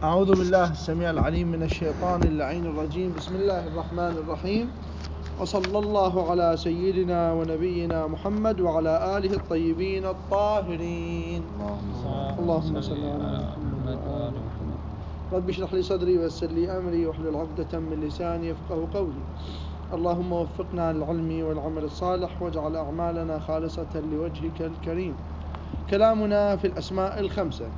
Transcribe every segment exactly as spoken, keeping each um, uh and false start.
أعوذ بالله السميع العليم من الشيطان اللعين الرجيم. بسم الله الرحمن الرحيم، وصلى الله على سيدنا ونبينا محمد وعلى آله الطيبين الطاهرين. اللهم صل على محمد وآل محمد. رب اشرح لي صدري ويسر لي أمري واحلل عقدة من لساني يفقهوا قولي. اللهم وفقنا للعلم والعمل الصالح واجعل أعمالنا خالصة لوجهك الكريم. كلامنا في الأسماء الخمسة.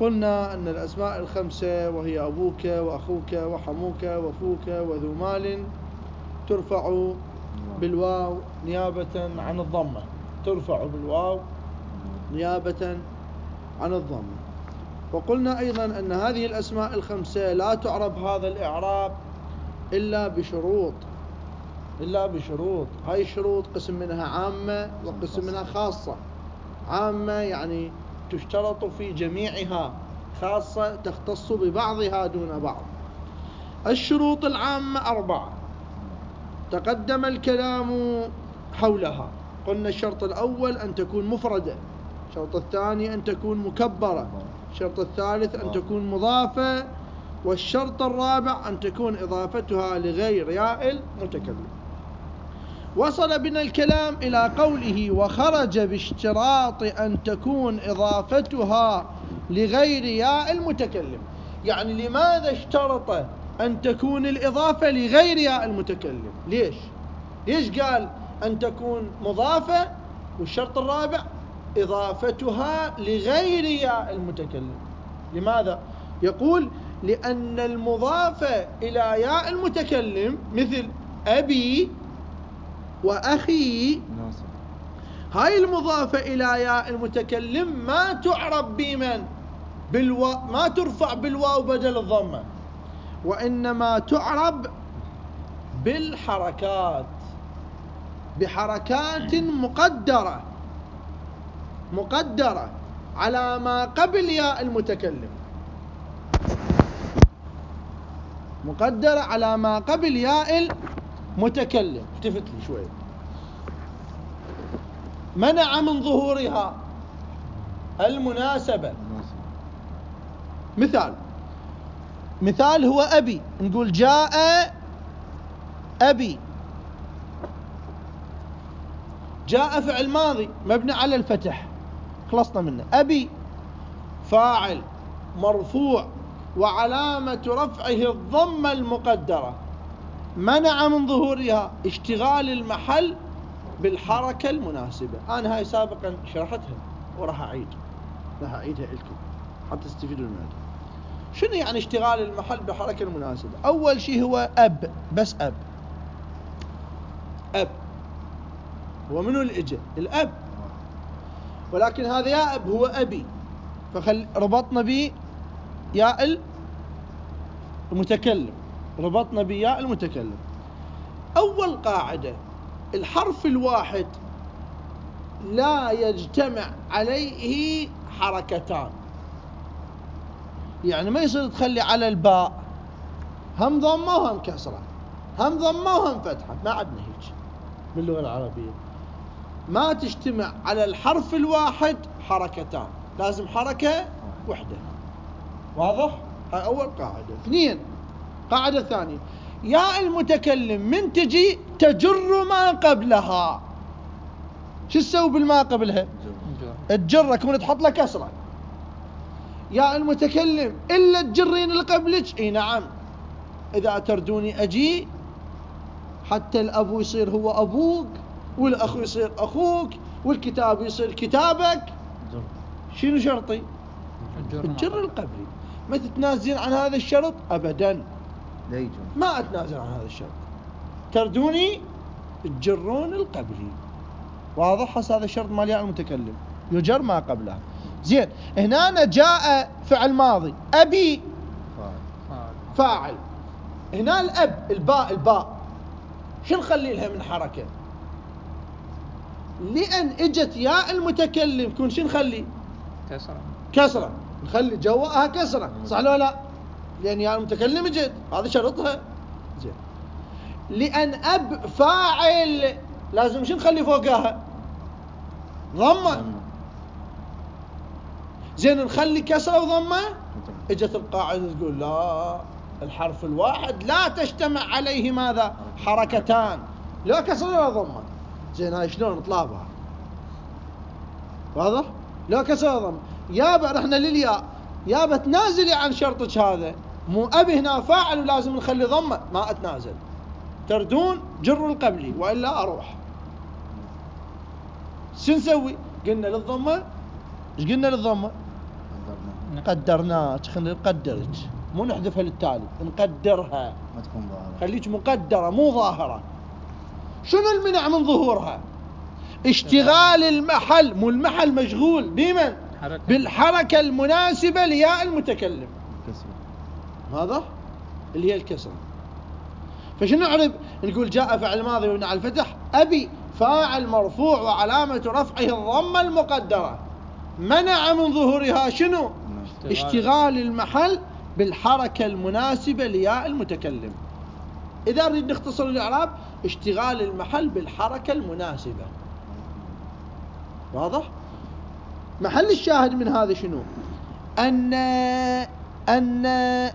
قلنا أن الأسماء الخمسة وهي أبوك وأخوك وحموك وفوك وذو مال ترفع بالواو نيابة عن الضمة. ترفع بالواو نيابة عن الضمة. وقلنا أيضا أن هذه الأسماء الخمسة لا تعرب هذا الإعراب إلا بشروط إلا بشروط هاي الشروط قسم منها عامة وقسم منها خاصة. عامة يعني تشترط في جميعها، خاصة تختص ببعضها دون بعض. الشروط العامة أربعة تقدم الكلام حولها. قلنا الشرط الأول أن تكون مفردة، الشرط الثاني أن تكون مكبرة، الشرط الثالث أن تكون مضافة، والشرط الرابع أن تكون إضافتها لغير ياء المتكلم. وصل بنا الكلام إلى قوله وخرج باشتراط أن تكون إضافتها لغير ياء المتكلم. يعني لماذا اشترط أن تكون الإضافة لغير ياء المتكلم؟ ليش؟ ليش قال أن تكون مضافة والشرط الرابع إضافتها لغير ياء المتكلم؟ لماذا؟ يقول لأن المضافة إلى ياء المتكلم مثل أبي وأخي، هاي المضافة إلى ياء المتكلم ما تعرب بمن؟ بالوا... ما ترفع بالواو بدل الضمة، وإنما تعرب بالحركات، بحركات مقدرة مقدرة على ما قبل ياء المتكلم، مقدرة على ما قبل ياء المتكلم. التفت لي شوي. منع من ظهورها المناسبة. مثال مثال هو أبي. نقول جاء أبي. جاء فعل ماضي مبني على الفتح، خلصنا منه. أبي فاعل مرفوع وعلامة رفعه الضمة المقدرة. منع من ظهورها اشتغال المحل بالحركة المناسبة. أنا هاي سابقا شرحتها وراح أعيد راح أعيدها لكم حتى تستفيدوا منها. شنو يعني اشتغال المحل بالحركة المناسبة؟ أول شيء هو أب، بس أب. أب هو منو اللي إجا؟ الأب، ولكن هذا يا أب هو أبي، فخل ربطنا به ياء المتكلم، ربطنا بياء المتكلم. أول قاعدة، الحرف الواحد لا يجتمع عليه حركتان. يعني ما يصير تخلي على الباء هم ضمة وهم كسرة، هم ضمة وهم فتحة، ما عندنا هيك باللغة العربية. ما تجتمع على الحرف الواحد حركتان، لازم حركة واحدة. واضح؟ هاي أول قاعدة. اثنين، قاعدة ثانية، ياء المتكلم من تجي تجر ما قبلها. شو تسوي بالما قبلها؟ تجرها، كون تحط له كسرة. ياء المتكلم إلا تجرين اللي قبلك. اي نعم، إذا تردوني أجي حتى الأبو يصير هو أبوك، والأخ يصير أخوك، والكتاب يصير كتابك. شنو شرطي؟ الجر القبلي. ما تتنازلين عن هذا الشرط أبدا. ما أتنازل عن هذا الشرط. تردوني تجرون القبلي. واضح؟ هذا الشرط مال ياء المتكلم، يجر ما قبله. زين، هنا جاء فعل ماضي، أبي فاعل. هنا الأب الباء الباء شو نخلي لها من حركة؟ لأن اجت ياء المتكلم كون شو نخلي؟ كسرة. كسرة نخلي جواها كسرة، صح ولا لا؟ لأن ياء المتكلم اجت، هذا شرطها. زين، لأن أب فاعل لازم شو نخلي فوقها؟ ضمة. زين، نخلي كسرة وضمة؟ اجت القاعدة تقول لا، الحرف الواحد لا تجتمع عليه ماذا؟ حركتان، لا كسر ولا ضمة. زين هاي شلون نطلابها؟ واضح؟ لا كسر ولا ضمة. يابا رحنا للياء، يابا تنازلي عن شرطك هذا، مو أبي هنا فاعل ولازم نخلي ضمة، ما أتنازل، تردون جر القبلي وإلا أروح. شو نسوي؟ قلنا للضمة، ايش قلنا للضمة؟ قدرناك، خلينا نقدرك، مو نحذفها للتالي، نقدرها ما تكون ظاهرة، خليك مقدرة مو ظاهرة. شنو المنع من ظهورها؟ اشتغال المحل، مو المحل مشغول بمن؟ بالحركة المناسبة لياء المتكلم، هذا اللي هي الكسرة. فشنو نعرف؟ نقول جاء فعل ماضي مبني على الفتح، أبي فاعل مرفوع وعلامة رفعه الضمة المقدرة، منع من ظهورها شنو؟ اشتغال المحل بالحركة المناسبة لياء المتكلم. إذا نريد نختصر الإعراب، اشتغال المحل بالحركة المناسبة. واضح؟ محل الشاهد من هذا شنو؟ أن أن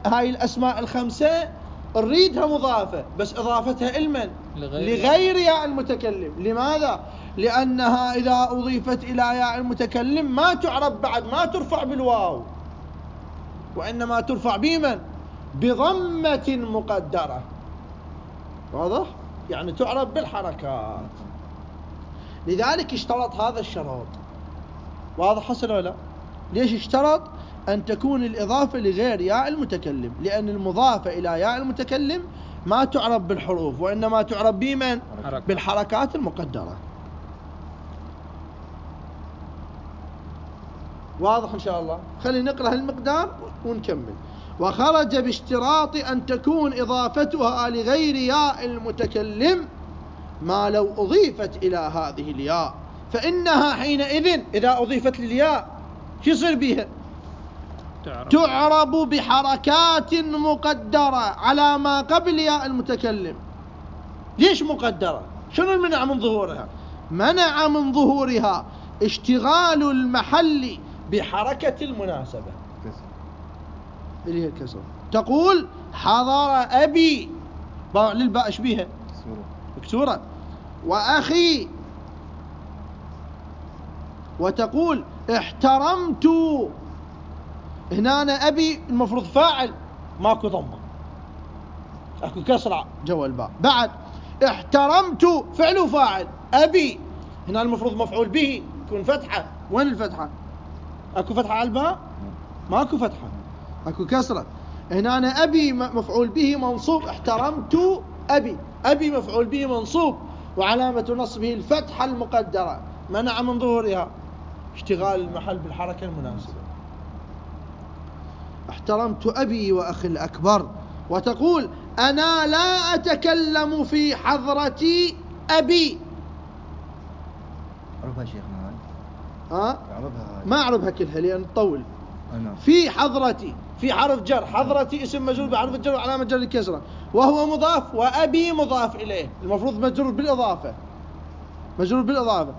هاي الأسماء الخمسة نريدها مضافة، بس إضافتها إلمن؟ لغير ياء المتكلم. لماذا؟ لأنها إذا أضيفت إلى ياء المتكلم ما تعرب بعد، ما ترفع بالواو، وإنما ترفع بمن؟ بضمة مقدرة. واضح؟ يعني تعرب بالحركات. لذلك اشترط هذا الشرط. واضح حصل ولا لا؟ ليش اشترط أن تكون الإضافة لغير ياء المتكلم؟ لأن المضافة إلى ياء المتكلم ما تعرب بالحروف، وإنما تعرب بمن؟ بالحركات المقدرة. واضح إن شاء الله؟ خلينا نقرأ المقدار ونكمل. وخرج باشتراط أن تكون إضافتها لغير ياء المتكلم ما لو أضيفت إلى هذه الياء، فإنها حينئذ إذا أضيفت للياء شو يصير بها؟ تعرب. تعرب بحركات مقدرة على ما قبل ياء المتكلم. ليش مقدرة؟ شنو المنع من ظهورها؟ منع من ظهورها اشتغال المحل بحركة المناسبة اللي هي الكسر. تقول حضر أبي، باع للباء ايش بيها؟ مكسورة. وأخي، وتقول احترمت، هنا أنا أبي المفروض فاعل ماكو ضمة، اكو كسرة جوا الباء. بعد احترمت فعل وفاعل، أبي هنا المفروض مفعول به يكون فتحة، وين الفتحة؟ اكو فتحة على الباء؟ ماكو فتحة، اكو كسرة. هنا أنا أبي مفعول به منصوب، احترمت أبي، أبي مفعول به منصوب وعلامة نصبه الفتحة المقدرة، منع من ظهورها اشتغال المحل بالحركة المناسبة. احترمت أبي وأخي الأكبر. وتقول أنا لا أتكلم في حضرتي أبي. أعرفها شيخنا هاي؟ ها؟ أعرفها هاي؟ ما أعرفها كلها لأن تطول. أنا. في حضرتي، في حرف جر، حضرتي اسم مجرور بحرف الجر وعلامة جر الكسرة، وهو مضاف، وأبي مضاف إليه، المفروض مجرور بالإضافة، مجرور بالإضافة.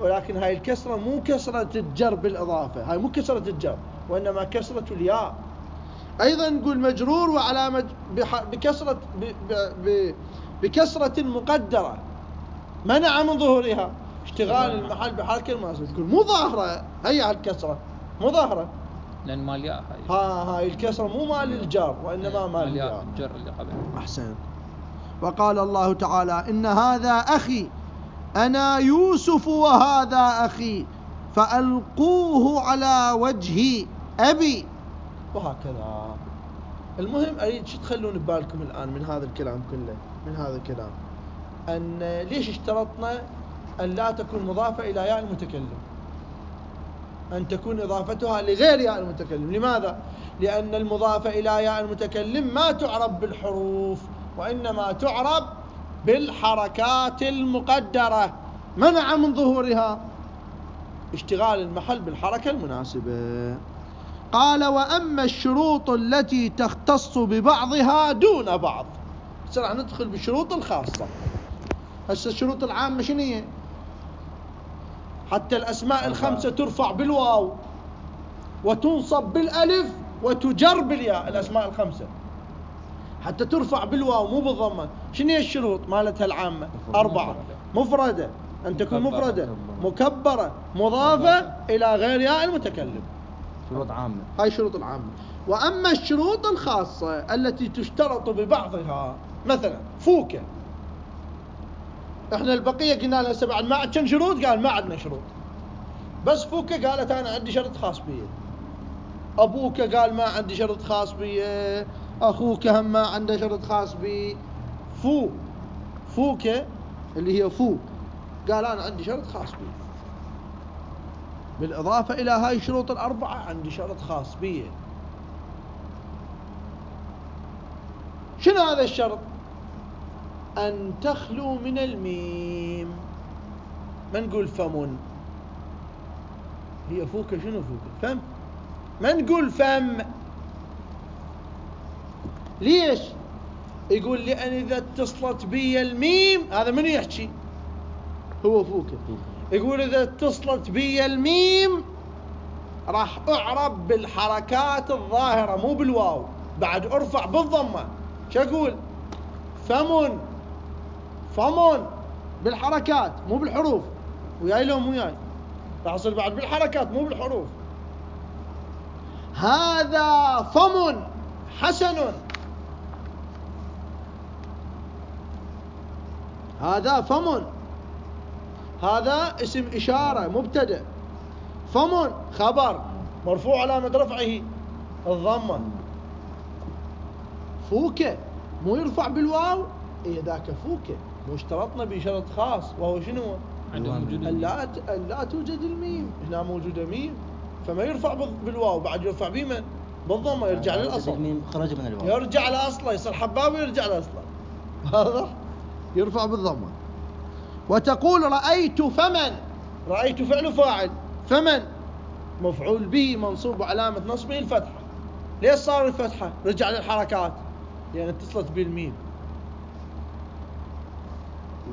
ولكن هاي الكسرة مو كسرة الجر بالإضافة، هاي مو كسرة الجر، وإنما كسرة الياء. أيضا نقول مجرور وعلامة بكسرة بكسرة مقدرة منع من ظهورها اشتغال المحل بحركة المناسبة. تقول مو ظاهرة هي الكسرة، مو ظاهرة لأن مال ياء هاي. ها هاي الكسرة مو مال الجر، وإنما مال الياء الجر اللي قبل. أحسن. وقال الله تعالى إن هذا أخي أنا يوسف وهذا أخي فألقوه على وجه أبي، وهكذا. المهم أريد شو تخلون ببالكم الآن من هذا الكلام كله، من هذا الكلام أن ليش اشترطنا أن لا تكون مضافة إلى ياء المتكلم، أن تكون إضافتها لغير ياء المتكلم. لماذا؟ لأن المضافة إلى ياء المتكلم ما تعرب بالحروف، وإنما تعرب بالحركات المقدرة، منع من ظهورها اشتغال المحل بالحركة المناسبة. قال وأما الشروط التي تختص ببعضها دون بعض. راح ندخل بالشروط الخاصة. هسه الشروط العامة شنو هي؟ حتى الأسماء الخمسة ترفع بالواو وتنصب بالألف وتجر بالياء، الأسماء الخمسة حتى ترفع بالواو مو بالضمة. شنو هي الشروط مالتها العامة؟ أربعة. مفردة، أن تكون مفردة، مكبرة، مضافة إلى غير ياء المتكلم. شروط عامة. هاي شروط العامة. وأما الشروط الخاصة التي تشترط ببعضها، مثلا فوكة، احنا البقية قلنا لها هسه بعد ما عندنا شروط، قال ما عندنا شروط، بس فوكة قالت أنا عندي شرط خاص بي. أبوك قال ما عندي شرط خاص بي، أخوك هم ما عنده شرط خاص بي. فو فوكة اللي هي فو قال أنا عندي شرط خاص بي، بالإضافة إلى هاي الشروط الأربعة عندي شرط خاص بي. شنو هذا الشرط؟ أن تخلو من الميم. ما نقول فم، هي فوكة شنو فوكة؟ فم. ما نقول فم. ليش؟ يقول لأن إذا اتصلت بي الميم، هذا من يحكي؟ هو فوكة. يقول إذا اتصلت بي الميم راح أعرب بالحركات الظاهرة مو بالواو، بعد أرفع بالضمة. شو أقول؟ فم، فم بالحركات مو بالحروف. وياي لو مو وياي؟ راح أصير بعد بالحركات مو بالحروف. هذا فم حسن، هذا فم، هذا اسم إشارة مبتدأ، فم خبر مرفوع علامة رفعه الضمة. فوكة مو يرفع بالواو، إيه ذاك فوكة. مو اشترطنا بشرط خاص وهو شنو؟ ألا ألا توجد الميم. هنا موجودة ميم، فما يرفع بالواو، بعد يرفع بمن؟ بالضمة، يرجع للأصل. الميم خرج من الواو، يرجع لأصله، يصير حباب ويرجع لأصله. واضح؟ يرفع بالضمة. وتقول رأيت فمن. رأيت فعل فاعل، فمن مفعول به منصوب علامة نصبه الفتحة. ليش صار الفتحة؟ رجع للحركات لأن اتصلت بالميم.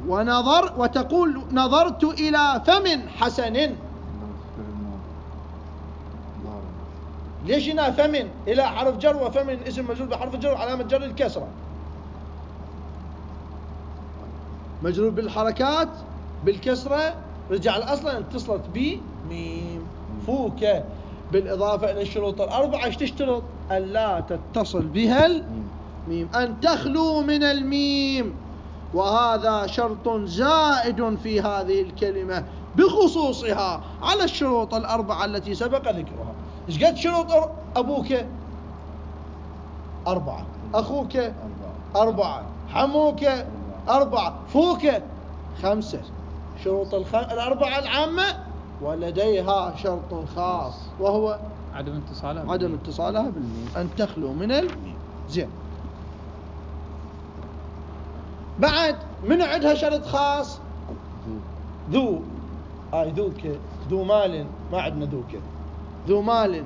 ونظر وتقول نظرت إلى فم حسن. ليش هنا فم إلى حرف جر، وفم اسم مجرور بحرف جر علامة جر الكسرة، مجرور بالحركات بالكسرة، رجع الأصل اتصلت بميم. فوكة بالإضافة إلى الشروط الأربعة ايش تشترط؟ ألا تتصل بها الميم، أن تخلو من الميم. وهذا شرط زائد في هذه الكلمة بخصوصها على الشروط الأربعة التي سبق ذكرها. إيش قد شروط أبوك؟ أربعة. أخوك؟ أربعة. حموك؟ أربعة. فوك؟ خمسة. شروط الخ... الأربعة العامة، ولديها شرط خاص وهو عدم اتصالها عدم اتصالها بالميم، أن تخلو من الميم. زين. بعد من عندها شرط خاص؟ ذو. هاي ذوك، ذو مال، ما عندنا ذوك. ذو مال،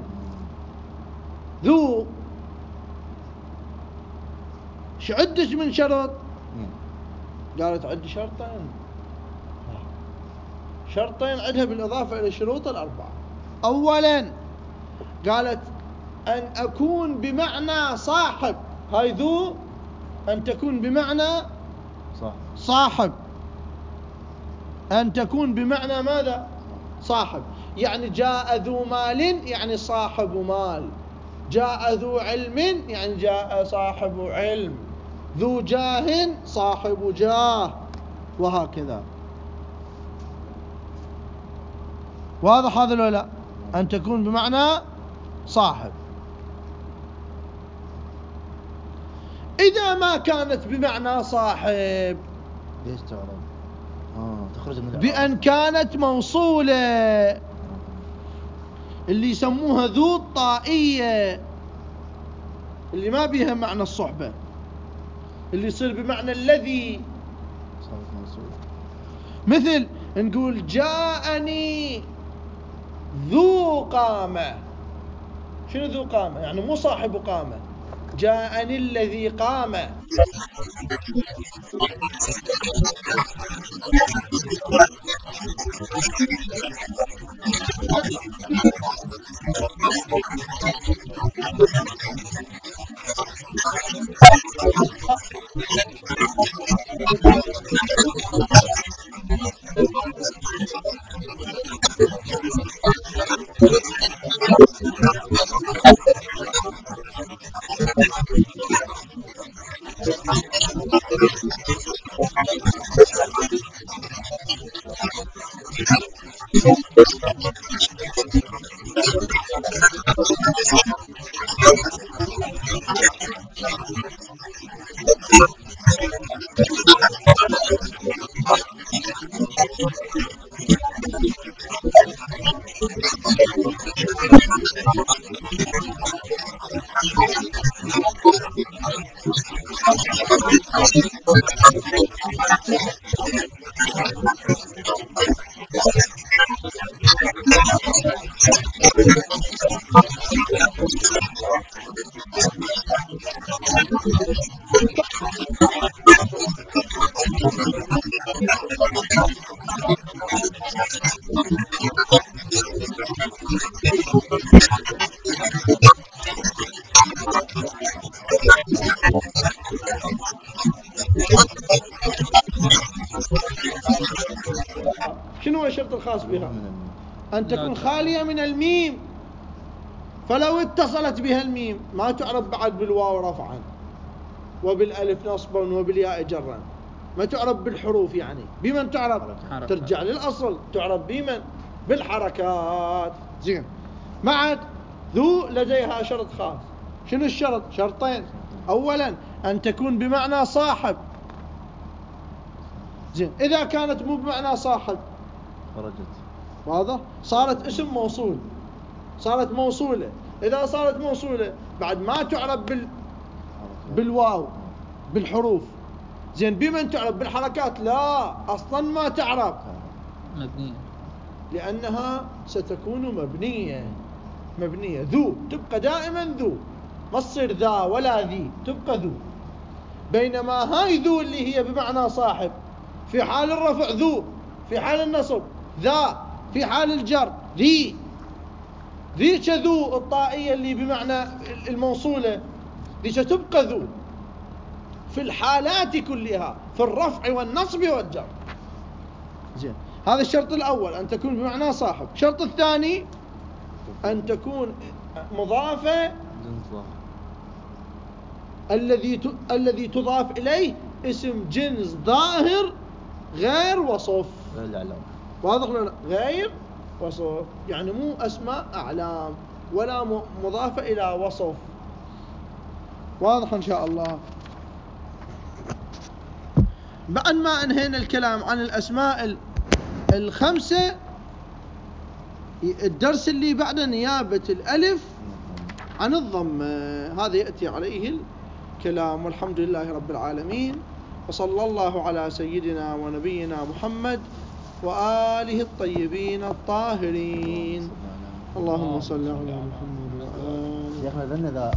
ذو شو عدش من شرط؟ قالت عندي شرطين. شرطين عندها بالإضافة إلى الشروط الأربعة. أولا قالت أن أكون بمعنى صاحب. هاي ذو أن تكون بمعنى صاحب. صاحب. أن تكون بمعنى ماذا؟ صاحب. يعني جاء ذو مال يعني صاحب مال، جاء ذو علم يعني جاء صاحب علم، ذو جاه صاحب جاه، وهكذا. واضح هذا ولا لا؟ أن تكون بمعنى صاحب. إذا ما كانت بمعنى صاحب ليش تعرف؟ آه تخرج من بأن كانت موصولة، اللي يسموها ذو الطائية، اللي ما بيها معنى الصحبة، اللي يصير بمعنى الذي. مثل نقول جاءني ذو قامة. شنو ذو قامة؟ يعني مو صاحب قامة، جاءني الذي قام. شنو هو الشرط الخاص بها؟ أن تكون خالية من الميم، فلو اتصلت بها الميم ما تعرف بعد بالواو رفعا وبالألف نصبا وبالياء جرا، ما تعرف بالحروف، يعني بمن تعرف؟ حركات. ترجع للأصل، تعرف بمن؟ بالحركات. زين. معت ذو لديها شرط خاص. شنو الشرط؟ شرطين. أولا أن تكون بمعنى صاحب. زين. إذا كانت مو بمعنى صاحب خرجت. واضح؟ صارت اسم موصول، صارت موصولة. إذا صارت موصولة بعد ما تعرف بال بالواو بالحروف. زين. بمن تعرف؟ بالحركات؟ لا، أصلا ما تعرف، مبنية، لأنها ستكون مبنية. مبنية. ذو تبقى دائما ذو، ما تصير ذا ولا ذي، تبقى ذو. بينما هاي ذو اللي هي بمعنى صاحب في حال الرفع ذو، في حال النصب ذا، في حال الجر ذي. ذيك ذو الطائية اللي بمعنى الموصولة ذيك تبقى ذو في الحالات كلها، في الرفع والنصب والجر. زين. هذا الشرط الأول، أن تكون بمعنى صاحب. الشرط الثاني أن تكون مضافة، الذي الذي تضاف إليه اسم جنس ظاهر غير وصف. واضح ولا لا؟ غير وصف، يعني مو أسماء أعلام ولا مضافة إلى وصف. واضح إن شاء الله. بعد ما انهينا الكلام عن الأسماء الخمسة، الدرس اللي بعده نيابة الألف عن الضم، هذا يأتي عليه الكلام. والحمد لله رب العالمين، وصلى الله على سيدنا ونبينا محمد وآله الطيبين الطاهرين. اللهم صل على محمد وآله.